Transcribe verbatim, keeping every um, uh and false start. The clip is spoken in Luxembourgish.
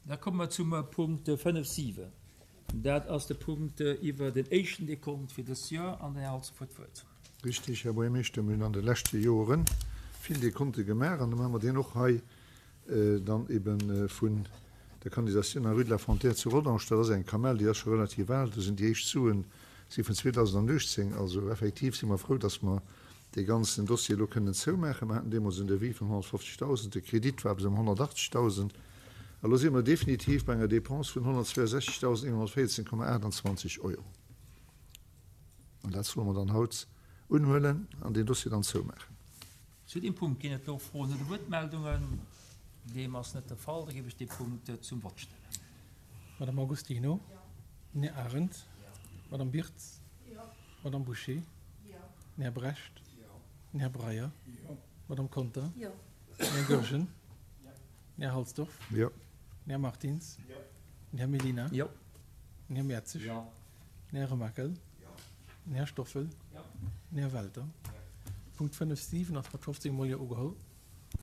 Da komme mer zum Punkt fënnef siwen. Dat ass de Punkt iwwer den éischten Dekont fir dëst Joer an den Här Halsdorf huet d'Wuert. Richtig, Här Buergermeeschter, mir hunn an de leschte Joere vill Dekonte gemaach an da maache mer deen och hei dann ebe vun der Kanalisatioun an der Rue de la Frontière zu Rodange. Dat ass eng Kamell, déi ass scho relativ al. Do sinn déi éischt Suen si vun zweedausendanuechtzéng. Also effektiv si mer frou, dass mer dee ganzen Dossier elo kënnen zoumaachen. Mer haten deemools en Devis vun honnertfofzegdausend, de Kredit war bis ëm honnertachtzegdausend. A lo si mer definitiv bei enger Dépense vun honnertzweiesechzegdausendeenhonnertvéierzehn Komma aachtanzwanzeg Euro. An dat solle mer dann haut unhuelen an deen Dossier dann zoumaachen. Zu deem Punkt ginn et elo Froen oder Wuertmeldungen. Deem ass net de Fall. Da géif ech dee Punkt zum Vott stellen. Madame Agostino. Den Här Arendt. Madame Birtz. Madame Bouché. Den Här Brecht. Den Här Breyer. Madame Conter. Den Här Goergen. Den Här Halsdorf. Den Här Martins. Den Här Mellina. Den Här Mertzig. Den Här Remakel. Den Här Stoffel. Den Här Welter. Punkt fënnef, siwen ass mat fofzéng Mol Jo ugeholl.